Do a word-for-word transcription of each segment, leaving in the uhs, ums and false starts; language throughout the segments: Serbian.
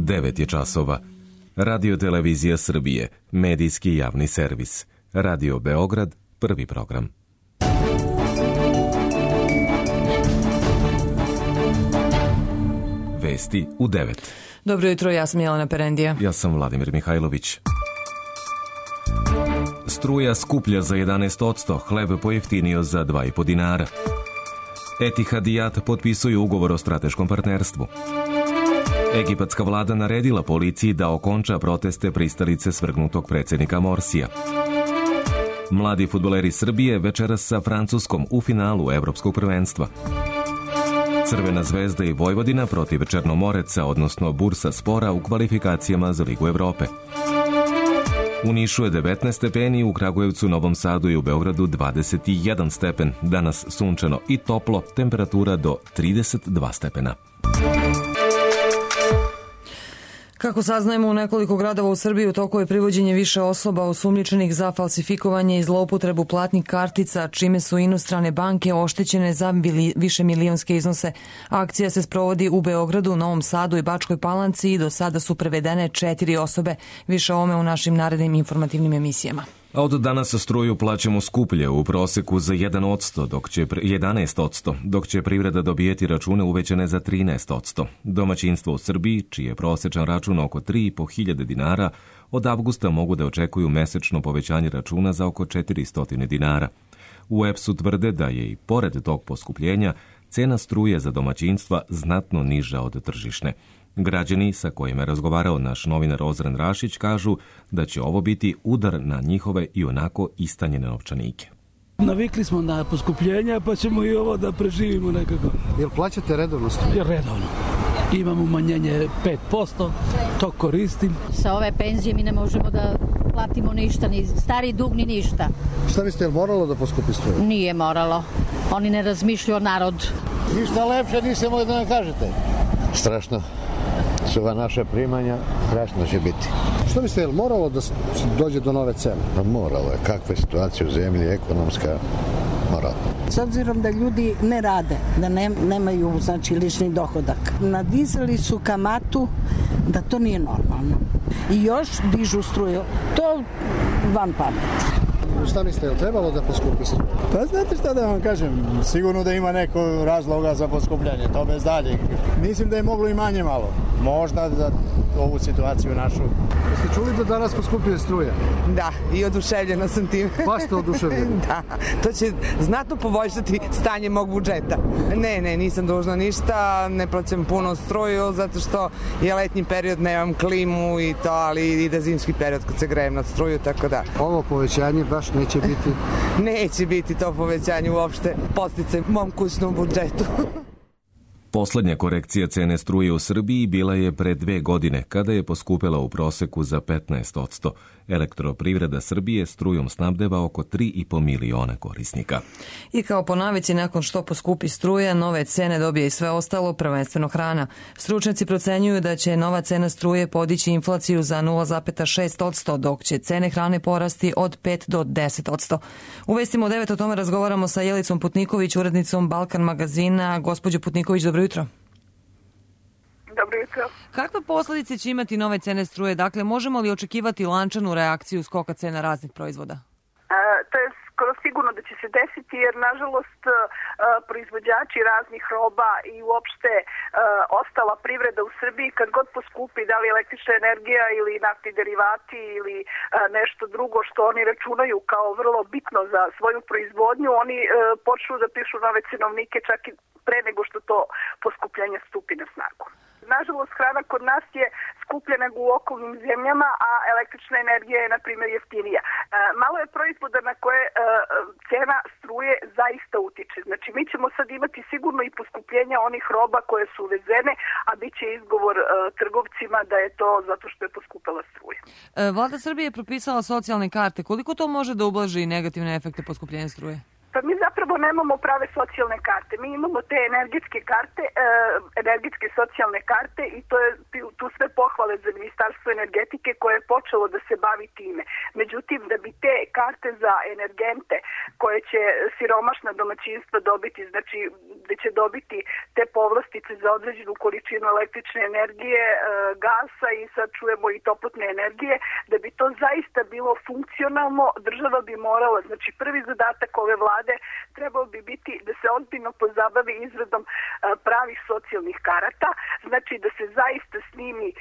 devet je časova. Radio Televizija Srbije, medijski javni servis. Radio Beograd, prvi program. Vesti u devet. Dobro jutro, ja sam Jelena Perendija. Ja sam Vladimir Mihajlović. Struja skuplja za jedanaest posto, hleb pojeftinio za dva i po dinara. Etihad i Jat potpisuju ugovor o strateškom partnerstvu. Egipatska vlada naredila policiji da okonča proteste pristalice svrgnutog predsjednika Morsija. Mladi fudbaleri Srbije večeras sa Francuskom u finalu Evropskog prvenstva. Crvena zvezda i Vojvodina protiv Černomoreca, odnosno Bursa Spora u kvalifikacijama za Ligu Evrope. U Nišu je devetnaest stepeni, u Kragujevcu, Novom Sadu i u Beogradu dvadeset jedan stepen. Danas sunčano i toplo, temperatura do trideset dva stepena. Kako saznajemo, u nekoliko gradova u Srbiji u toku je privođenje više osoba osumnjičenih za falsifikovanje i zloupotrebu platnih kartica, čime su inostrane banke oštećene za više milionske iznose. Akcija se sprovodi u Beogradu, Novom Sadu i Bačkoj Palanci i do sada su prevedene četiri osobe. Više o ovome u našim narednim informativnim emisijama. A od danas struju plaćamo skuplje, u proseku za jedan posto, dok će jedanaest posto, dok će privreda dobijeti račune uvećane za trinaest posto. Domaćinstvo u Srbiji, čiji je prosječan račun oko tri i po hiljade dinara, od avgusta mogu da očekuju mesečno povećanje računa za oko četiristo dinara. U E P S-u tvrde da je i pored tog poskupljenja cena struje za domaćinstva znatno niža od tržišne. Građani sa kojima je razgovarao naš novinar Ozren Rašić kažu da će ovo biti udar na njihove i onako istanjene novčanike. Navikli smo na poskupljenja, pa ćemo i ovo da preživimo nekako. Jel plaćate redovno struju? Redovno. Imamo umanjenje pet posto, to koristim. Sa ove penzije mi ne možemo da platimo ništa, ni stari dug, ni ništa. Šta biste, je moralo da poskupi struju? Nije moralo. Oni ne razmišljaju o narodu. Ništa lepše nisam mogli da nam kažete. Strašno. Su ova naša primanja, strašno će biti. Što biste, je moralo da dođe do nove cene? Pa moralo je. Kakva je situacija u zemlji, ekonomska, moralo. S obzirom da ljudi ne rade, da ne, nemaju znači, lični dohodak. Nadizali su kamatu da to nije normalno. I još dižu struju. To van pameti. Šta mislite, je li trebalo da poskupi struju? Pa znate šta da vam kažem, sigurno da ima neko razloga za poskupljanje, to bez dalje. Mislim da je moglo i manje malo, možda za ovu situaciju našu. Jeste čuli da danas poskupljuje struja? Da, i oduševljena sam tim. Pa ste oduševljeni? Da, to će znatno poboljšati stanje mog budžeta. Ne, ne, nisam dužna ništa, ne plaćam puno struju, zato što je letnji period, nemam klimu i to, ali ide zimski period kad se grejem na struju, tako da. Ovo povećanje baš neće biti? Neće biti to povećanje uopšte podsticaj mom kućnom budžetu. Poslednja korekcija cene struje u Srbiji bila je pre dve godine, kada je poskupela u proseku za petnaest posto. Elektroprivreda Srbije strujom snabdeva oko tri i po miliona korisnika. I kao po navici, nakon što poskupi struja, nove cene dobije i sve ostalo, prvenstveno hrana. Stručnjaci procenjuju da će nova cena struje podići inflaciju za nula zarez šest posto, dok će cene hrane porasti od pet do deset posto. U Vestima devet o tome razgovaramo sa Jelicom Putniković, urednicom Balkan magazina. Gospođo Putniković, dobro jutro. Dobro jutro. Kakve posljedice će imati nove cene struje? Dakle, možemo li očekivati lančanu reakciju skoka cena raznih proizvoda? E, to je skoro sigurno da će se desiti, jer nažalost e, proizvođači raznih roba i uopšte e, ostala privreda u Srbiji, kad god poskupi, da li električna energija ili naftni derivati ili e, nešto drugo što oni računaju kao vrlo bitno za svoju proizvodnju, oni e, počnu da pišu nove cenovnike čak i pre nego što to poskupljenje stupi na snagu. Nažalost, hrana kod nas je skuplja nego u okolnim zemljama, a električna energija je, na primjer, jeftinija. E, malo je proizvoda na koje e, cena struje zaista utiče. Znači, mi ćemo sad imati sigurno i poskupljenja onih roba koje su uvezene, a bit će izgovor e, trgovcima da je to zato što je poskupela struja. E, Vlada Srbije je propisala socijalne karte. Koliko to može da ublaži negativne efekte poskupljenja struje? Pa mi zapravo nemamo prave socijalne karte. Mi imamo te energetske karte, e, energetske socijalne karte i to je tu sve pohvale za Ministarstvo energetike koje je počelo da se bavi time. Međutim, da bi te karte za energente koje će siromašna domaćinstva dobiti, znači da će dobiti te povlastice za određenu količinu električne energije, e, gasa i sad čujemo i toplotne energije, da bi to zaista bilo funkcionalno, država bi morala, znači prvi zadatak ove vlade trebao bi biti da se ozbiljno pozabavi izradom e, pravih socijalnih karata, znači da se zaista snimi e,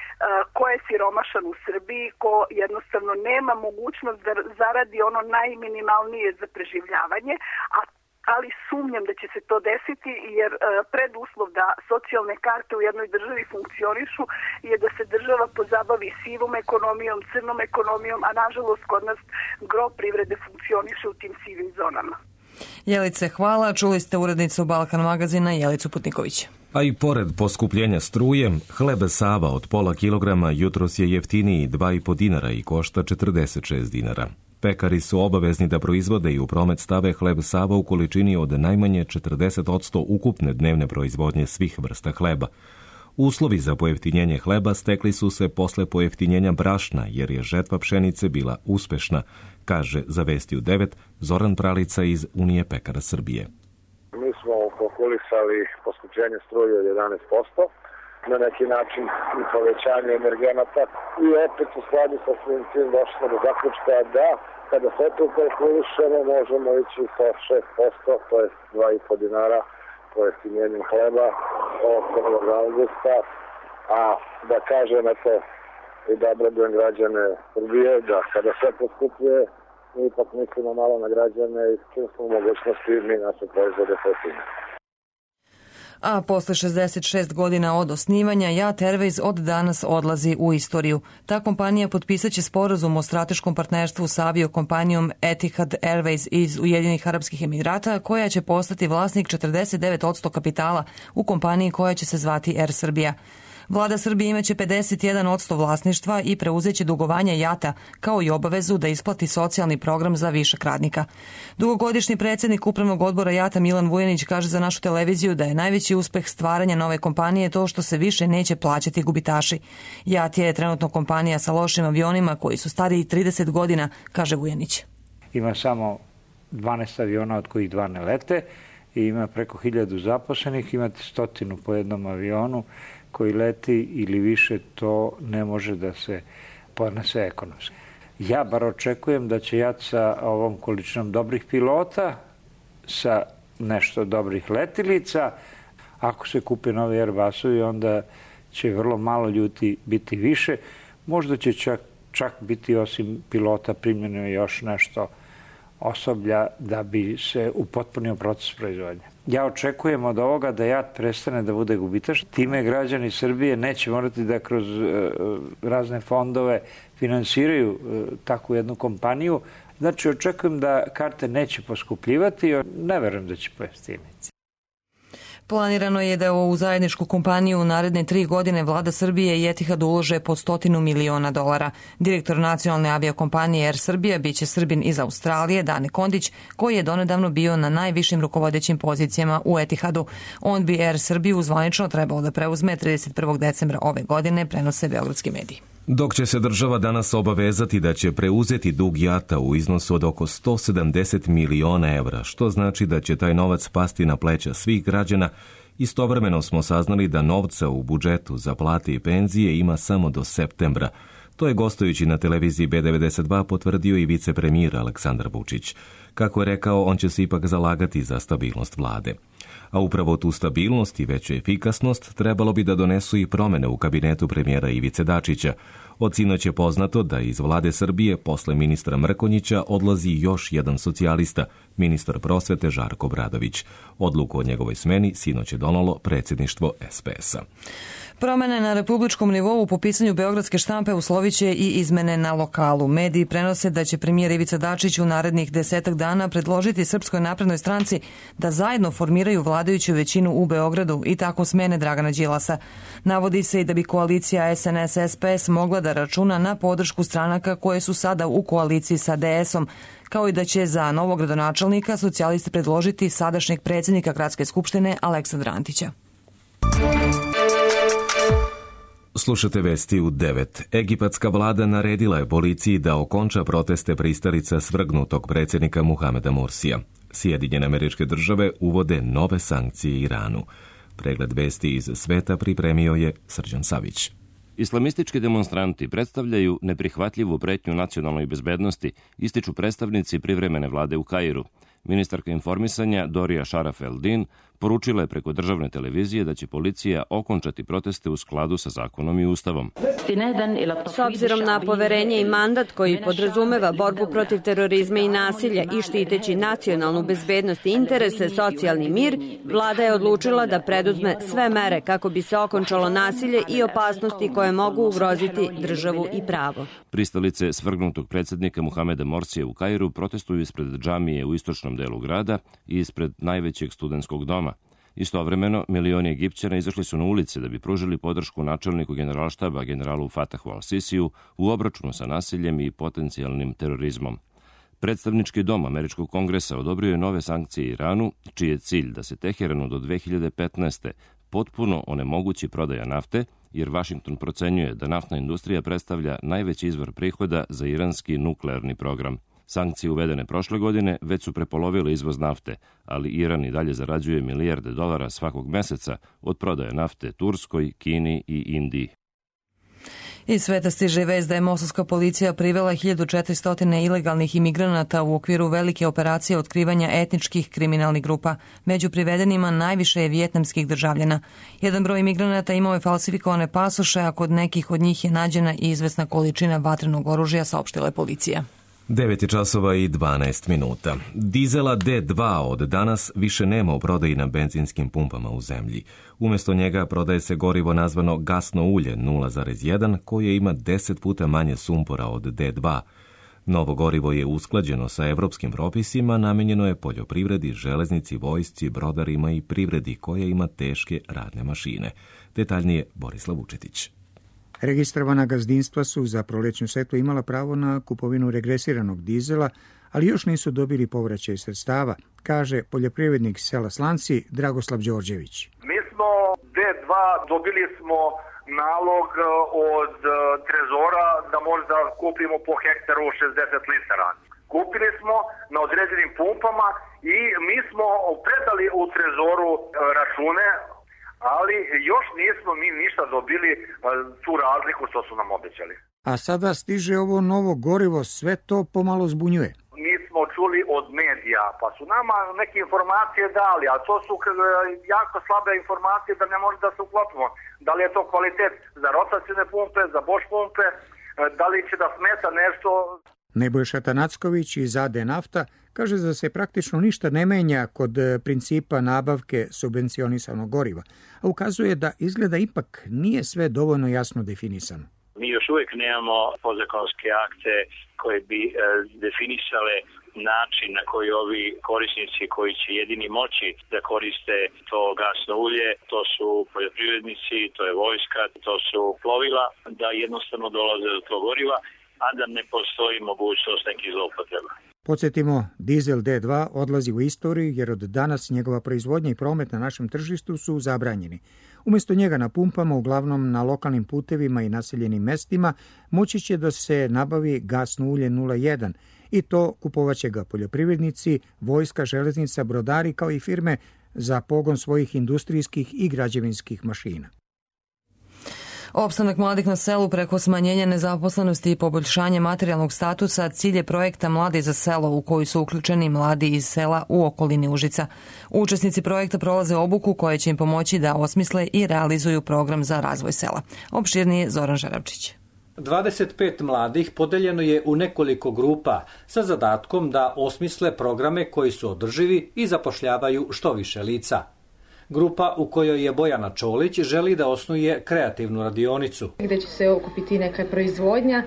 ko je siromašan u Srbiji, ko jednostavno nema mogućnost da zaradi ono najminimalnije za preživljavanje, a ali sumnjam da će se to desiti jer e, preduslov da socijalne karte u jednoj državi funkcionišu je da se država pozabavi sivom ekonomijom, crnom ekonomijom, a nažalost kod nas gro privrede funkcioniše u tim sivim zonama. Jelice, hvala. Čuli ste urednicu Balkan magazina Jelicu Putniković. A i pored poskupljenja struje, hleb Sava od pola kilograma jutros je jeftiniji dva i po dinara i košta četrdeset šest dinara. Pekari su obavezni da proizvode i u promet stave hleb Sava u količini od najmanje četrdeset posto ukupne dnevne proizvodnje svih vrsta hleba. Uslovi za pojeftinjenje hleba stekli su se posle pojeftinjenja brašna, jer je žetva pšenice bila uspešna, kaže za Vesti u devet Zoran Pralica iz Unije pekara Srbije. Mi smo kalkulisali poskupljenje struje od jedanaest posto, na neki način i povećanje energenata i opet u skladu sa svim tim došli smo do zaključka da kada sve to kalkulišemo možemo ići sa šest posto, to je dva i po dinara pojeftinjenjem hleba od prvog avgusta, a da kažem eto i da obradujem građane Srbije da kada sve poskupljuje mi ipak mislimo malo na građane i čim smo u mogućnosti mi naše proizvode pojeftinimo. A posle šezdeset šest godina od osnivanja Jat Airways od danas odlazi u istoriju. Ta kompanija potpisaće sporazum o strateškom partnerstvu sa aviokompanijom Etihad Airways iz Ujedinjenih Arapskih Emirata, koja će postati vlasnik četrdeset devet posto kapitala u kompaniji koja će se zvati Air Srbija. Vlada Srbije imaće pedeset jedan posto vlasništva i preuzeće dugovanja Jata, kao i obavezu da isplati socijalni program za višak radnika. Dugogodišnji predsjednik upravnog odbora Jata Milan Vujanić kaže za našu televiziju da je najveći uspeh stvaranja nove kompanije to što se više neće plaćati gubitaši. Jat je trenutno kompanija sa lošim avionima koji su stariji trideset godina, kaže Vujanić. Ima samo dvanaest aviona od kojih dva ne lete i ima preko hiljadu zaposlenih, imate stotinu po jednom avionu koji leti ili više, to ne može da se podnese ekonomski. Ja bar očekujem da će Jat sa ovom količinom dobrih pilota, sa nešto dobrih letilica, ako se kupe novi Airbusovi, onda će vrlo malo ljudi biti više. Možda će čak, čak biti osim pilota primljeno još nešto osoblja da bi se upotpunio proces proizvodnje. Ja očekujem od ovoga da Jat prestane da bude gubitaš. Time građani Srbije neće morati da kroz e, razne fondove finansiraju e, takvu jednu kompaniju. Znači, očekujem da karte neće poskupljivati, ne verujem da će pojeftiniti. Planirano je da u zajedničku kompaniju u naredne tri godine vlada Srbije i Etihad ulože po stotinu miliona dolara. Direktor nacionalne aviokompanije Air Srbija biće Srbin iz Australije, Dane Kondić, koji je donedavno bio na najvišim rukovodećim pozicijama u Etihadu. On bi Air Srbiju zvanično trebao da preuzme trideset prvog decembra ove godine, prenose beogradski mediji. Dok će se država danas obavezati da će preuzeti dug Jata u iznosu od oko sto sedamdeset miliona evra, što znači da će taj novac pasti na pleća svih građana, istovremeno smo saznali da novca u budžetu za plate i penzije ima samo do septembra. To je gostujući na televiziji B devedeset dva potvrdio i vicepremijer Aleksandar Vučić. Kako je rekao, on će se ipak zalagati za stabilnost vlade. A upravo tu stabilnost i veću efikasnost trebalo bi da donesu i promene u kabinetu premijera Ivice Dačića. Od sinoć je poznato da iz vlade Srbije posle ministra Mrkonjića odlazi još jedan socijalista, ministar prosvete Žarko Obradović. Odluku o njegovoj smeni sinoć je donelo predsjedništvo S P S-a. Promene na republičkom nivou po pisanju beogradske štampe usloviće i izmene na lokalu. Mediji prenose da će premijer Ivica Dačić u narednih desetak dana predložiti Srpskoj naprednoj stranci da zajedno formiraju vladajuću većinu u Beogradu i tako smene Dragana Đilasa. Navodi se i da bi koalicija S N S S P S mogla da sada računa na podršku stranaka koje su sada u koaliciji sa D S-om, kao i da će za novog gradonačelnika socijalisti predložiti sadašnjeg predsjednika Gradske skupštine Aleksandra Antića. Slušate vesti u devet. Egipatska vlada naredila je policiji da okonča proteste pristalica svrgnutog predsjednika Muhameda Mursija. Sjedinjene Američke Države uvode nove sankcije Iranu. Pregled vesti iz sveta pripremio je Srđan Savić. Islamistički demonstranti predstavljaju neprihvatljivu pretnju nacionalnoj bezbednosti, ističu predstavnici privremene vlade u Kairu. Ministarka informisanja Dorija Šaraf Eldin poručila je preko državne televizije da će policija okončati proteste u skladu sa zakonom i ustavom. S obzirom na poverenje i mandat koji podrazumeva borbu protiv terorizma i nasilja i štiteći nacionalnu bezbednost i interese, socijalni mir, vlada je odlučila da preduzme sve mere kako bi se okončalo nasilje i opasnosti koje mogu ugroziti državu i pravo. Pristalice svrgnutog predsjednika Muhameda Morsija u Kairu protestuju ispred džamije u istočnom delu grada i ispred najvećeg studentskog doma. Istovremeno, milioni Egipćana izašli su na ulice da bi pružili podršku načelniku generalštaba generalu Fatahu al-Sisiju u obračunu sa nasiljem i potencijalnim terorizmom. Predstavnički dom Američkog kongresa odobrio je nove sankcije Iranu, čiji je cilj da se Teheranu do dve hiljade petnaeste. potpuno onemogući prodaja nafte, jer Vašington procenjuje da naftna industrija predstavlja najveći izvor prihoda za iranski nuklearni program. Sankcije uvedene prošle godine već su prepolovile izvoz nafte, ali Iran i dalje zarađuje milijarde dolara svakog meseca od prodaje nafte Turskoj, Kini i Indiji. Iz sveta stiže vest da je mosovska policija privela hiljadu četiristo ilegalnih imigranata u okviru velike operacije otkrivanja etničkih kriminalnih grupa. Među privedenima najviše je vijetnamskih državljana. Jedan broj imigranata imao je falsifikovane pasoše, a kod nekih od njih je nađena i izvesna količina vatrenog oružja, saopštila je policija. devet časova i dvanaest minuta. Dizela D dva od danas više nema u prodaji na benzinskim pumpama u zemlji. Umjesto njega prodaje se gorivo nazvano gasno ulje nula zarez jedan koje ima deset puta manje sumpora od D dva. Novo gorivo je usklađeno sa evropskim propisima, namijenjeno je poljoprivredi, železnici, vojsci, brodarima i privredi koja ima teške radne mašine. Detaljnije Borislav Vučetić. Registrovana gazdinstva su za prolećnu setvu imala pravo na kupovinu regresiranog dizela, ali još nisu dobili povraćaj sredstava, kaže poljoprivrednik sela Slanci Dragoslav Đorđević. Mi smo D dva dobili smo nalog od Trezora da možda kupimo po hektaru šezdeset litara. Kupili smo na određenim pumpama i mi smo predali u Trezoru račune, ali još nismo mi ništa dobili tu razliku što su nam obećali. A sada stiže ovo novo gorivo, sve to pomalo zbunjuje. Mi smo čuli od medija, pa su nama neke informacije dali, a to su jako slabe informacije da ne može da se uklopimo. Da li je to kvalitet za rotacijne pumpe, za Bosch pumpe, da li će da smeta nešto. Nebojša Tanacković iz A D Nafta kaže da se praktično ništa ne menja kod principa nabavke subvencionisanog goriva, a ukazuje da izgleda ipak nije sve dovoljno jasno definisano. Mi još uvijek nemamo podzakonske akte koje bi e, definisale način na koji ovi korisnici koji će jedini moći da koriste to gasno ulje, to su poljoprivrednici, to je vojska, to su plovila, da jednostavno dolaze do tog goriva, a da ne postoji mogućnost nekih zloupotreba. Podsjetimo, dizel D dva odlazi u istoriju jer od danas njegova proizvodnja i promet na našem tržištu su zabranjeni. Umjesto njega na pumpama, uglavnom na lokalnim putevima i naseljenim mestima, moći će da se nabavi gasno ulje nula jedan i to kupovaće ga poljoprivrednici, vojska, železnica, brodari kao i firme za pogon svojih industrijskih i građevinskih mašina. Opstanak mladih na selu preko smanjenja nezaposlenosti i poboljšanje materijalnog statusa cilj je projekta Mladi za selo u koji su uključeni mladi iz sela u okolini Užica. Učesnici projekta prolaze obuku koja će im pomoći da osmisle i realizuju program za razvoj sela. Opširnije Zoran Žarabčić. dvadeset pet mladih podeljeno je u nekoliko grupa sa zadatkom da osmisle programe koji su održivi i zapošljavaju što više lica. Grupa u kojoj je Bojana Čolić želi da osnuje kreativnu radionicu. Gde će se okupiti neka proizvodnja,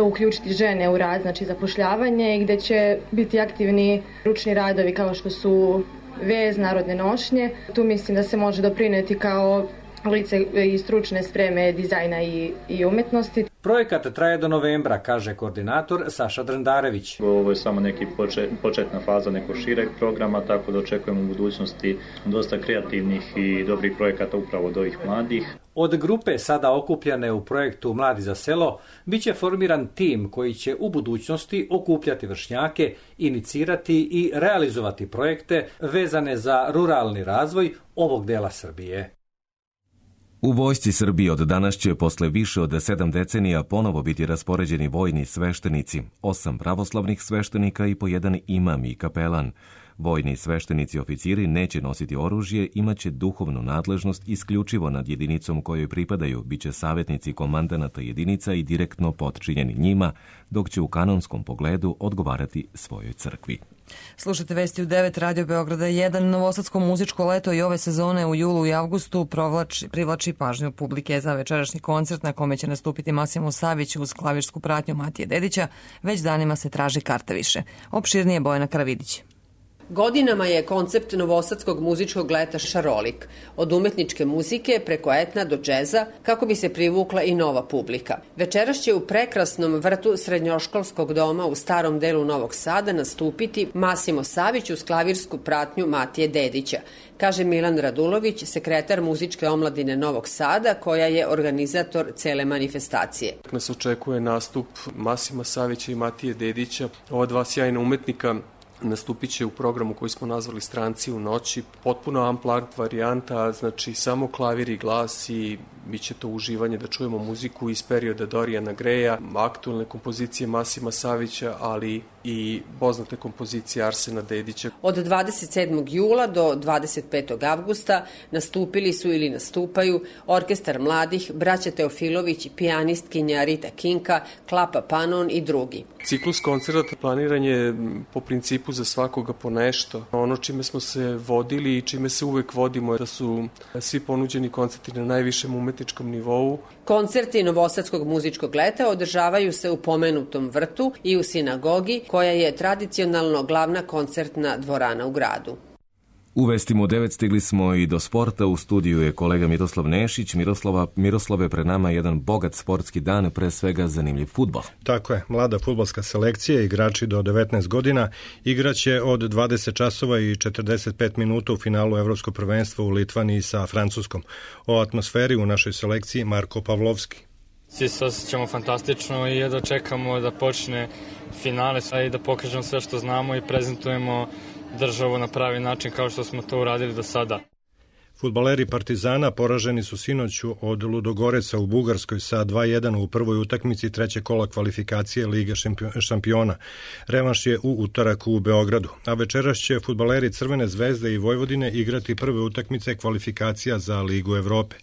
uključiti žene u rad, znači zapošljavanje, i gde će biti aktivni ručni radovi kao što su vez, narodne nošnje. Tu mislim da se može doprineti kao lice i stručne spreme dizajna i, i umetnosti. Projekat traje do novembra, kaže koordinator Saša Drendarević. Ovo je samo neki počet, početna faza nekog šireg programa, tako da očekujemo u budućnosti dosta kreativnih i dobrih projekata upravo od ovih mladih. Od grupe sada okupljane u projektu Mladi za selo biće formiran tim koji će u budućnosti okupljati vršnjake, inicirati i realizovati projekte vezane za ruralni razvoj ovog dela Srbije. U vojsci Srbije od danas će posle više od sedam decenija ponovo biti raspoređeni vojni sveštenici, osam pravoslavnih sveštenika i po jedan imam i kapelan. Vojni sveštenici oficiri neće nositi oružje, imaće duhovnu nadležnost isključivo nad jedinicom kojoj pripadaju, biće savjetnici komandanata jedinica i direktno potčinjeni njima, dok će u kanonskom pogledu odgovarati svojoj crkvi. Slušajte vesti u devet, Radio Beograda jedan. Novosadsko muzičko leto i ove sezone u julu i avgustu provlači, privlači pažnju publike za večerašnji koncert na kome će nastupiti Masimo Savić uz klavirsku pratnju Matije Dedića. Već danima se traži karta više. Opširnije Bojana Karavidić. Godinama je koncept novosadskog muzičkog leta šarolik, od umetničke muzike preko etna do džeza, kako bi se privukla i nova publika. Večeras će u prekrasnom vrtu srednjoškolskog doma u starom delu Novog Sada nastupiti Masimo Savić uz klavirsku pratnju Matije Dedića, kaže Milan Radulović, sekretar muzičke omladine Novog Sada, koja je organizator cele manifestacije. Nas očekuje nastup Masima Savića i Matije Dedića, ova dva sjajna umetnika. Nastupit će u programu koji smo nazvali Stranci u noći, potpuno unplugged varijanta, znači samo klavir i glas i bit će to uživanje da čujemo muziku iz perioda Dorijana Greja, aktualne kompozicije Masima Savića, ali i poznate kompozicije Arsena Dedića. Od dvadeset sedmog jula do dvadeset petog avgusta nastupili su ili nastupaju Orkestar mladih, braća Teofilović, pijanistkinja Rita Kinka, Klapa Panon i drugi. Ciklus koncerta planiran je po principu za svakoga po nešto. Ono čime smo se vodili i čime se uvek vodimo je da su svi ponuđeni koncerti na najvišem umetničkom nivou. Koncerti Novosadskog muzičkog leta održavaju se u pomenutom vrtu i u sinagogi, koja je tradicionalno glavna koncertna dvorana u gradu. U vestima u devet stigli smo i do sporta. U studiju je kolega Miroslav Nešić. Miroslava, Miroslave, pred nama je jedan bogat sportski dan, pre svega zanimljiv fudbal. Tako je, mlada fudbalska selekcija, igrači do devetnaest godina, igraće od dvadeset časova i četrdeset pet minuta u finalu Evropskog prvenstva u Litvaniji sa Francuskom. O atmosferi u našoj selekciji Marko Pavlovski. Svi se osjećamo fantastično i jedva čekamo da počne finale i da pokažemo sve što znamo i prezentujemo državu na pravi način kao što smo to uradili do sada. Fudbaleri Partizana poraženi su sinoću od Ludogoreca u Bugarskoj sa dva jedan u prvoj utakmici trećeg kola kvalifikacije Lige šampiona. Revanš je u utorak u Beogradu, a večeras će fudbaleri Crvene zvezde i Vojvodine igrati prve utakmice kvalifikacija za Ligu Evrope.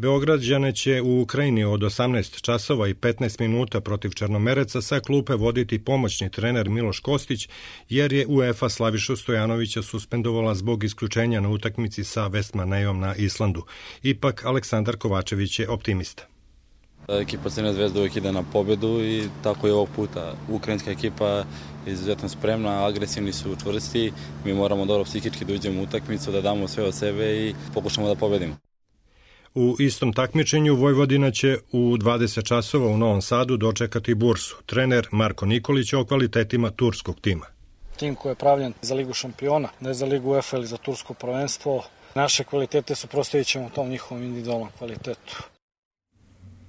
Beograđane će u Ukrajini od osamnaest časova i petnaest minuta protiv Črnomereca sa klupe voditi pomoćni trener Miloš Kostić, jer je UEFA Slavišu Stojanovića suspendovala zbog isključenja na utakmici sa West Manejom na Islandu. Ipak Aleksandar Kovačević je optimista. Ekipa Crvene zvezde uvijek ide na pobedu i tako je ovog puta. Ukrajinska ekipa je izuzetno spremna, agresivni su, čvrsti. Mi moramo dobro psihički da uđemo u utakmicu, da damo sve od sebe i pokušamo da pobedimo. U istom takmičenju Vojvodina će u dvadeset časova u Novom Sadu dočekati Bursu. Trener Marko Nikolić o kvalitetima turskog tima. Tim koji je pravljen za Ligu šampiona, ne za Ligu UEFA ili za tursko prvenstvo. Naše kvalitete suprotstavit ćemo tom njihovom individualnom kvalitetu.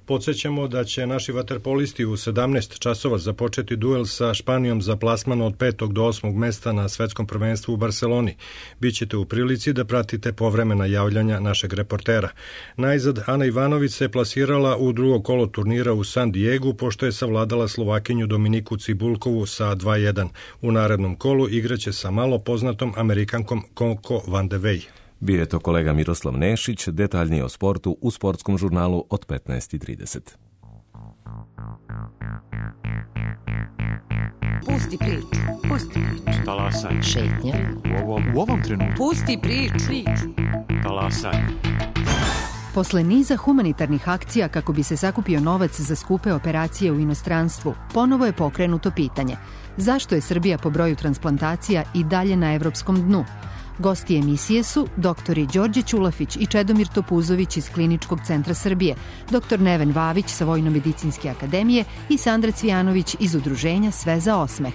Podsećamo da će naši vaterpolisti u sedamnaest časova započeti duel sa Španijom za plasman od petog do osmog mesta na svetskom prvenstvu u Barseloni. Bićete u prilici da pratite povremena javljanja našeg reportera. Najzad, Ana Ivanović se plasirala u drugo kolo turnira u San Diegu, pošto je savladala Slovakinju Dominiku Cibulkovu sa dva jedan. U narednom kolu igraće sa malo poznatom Amerikankom Coco Van de Wey. Bio je to kolega Miroslav Nešić, detaljnije o sportu u sportskom žurnalu od petnaest i trideset. Pusti priču, pusti priču. Talasaj. Šetnja. U ovom, u ovom trenutku. Pusti priču. Talasaj. Posle niza humanitarnih akcija kako bi se sakupio novac za skupe operacije u inostranstvu, ponovo je pokrenuto pitanje zašto je Srbija po broju transplantacija i dalje na evropskom dnu. Gosti emisije su doktori Đorđe Ćulafić i Čedomir Topuzović iz Kliničkog centra Srbije, doktor Neven Vavić sa Vojno-medicinske akademije i Sandra Cvijanović iz udruženja Sve za osmeh.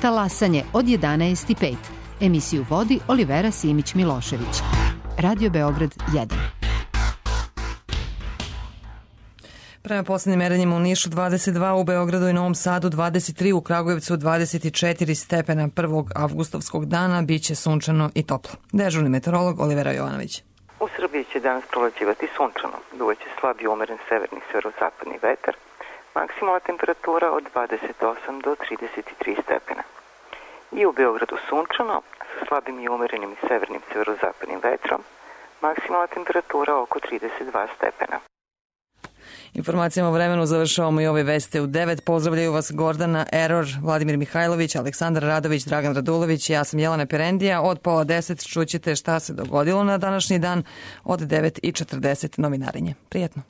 Talasanje od jedanaest i pet. Emisiju vodi Olivera Simić-Milošević. Radio Beograd jedan. Prema poslednjim merenjima u Nišu dvadeset dva, u Beogradu i Novom Sadu dvadeset tri, u Kragujevcu dvadeset četiri stepena prvog avgustovskog dana, biće sunčano i toplo. Dežurni meteorolog Olivera Jovanović. U Srbiji će danas prolećivati sunčano, duvaće slab i umeren severni severozapadni vetar, maksimalna temperatura od dvadeset osam do trideset tri stepena. I u Beogradu sunčano, sa slabim i umerenim severnim severozapadnim vetrom, maksimalna temperatura oko trideset dva stepena. Informacijama o vremenu završavamo i ove veste u devet. Pozdravljaju vas Gordana Eror, Vladimir Mihajlović, Aleksandar Radović, Dragan Radulović i ja sam Jelena Perendija. Od pola deset čućete šta se dogodilo na današnji dan, od devet i četrdeset novinarenje. Prijetno.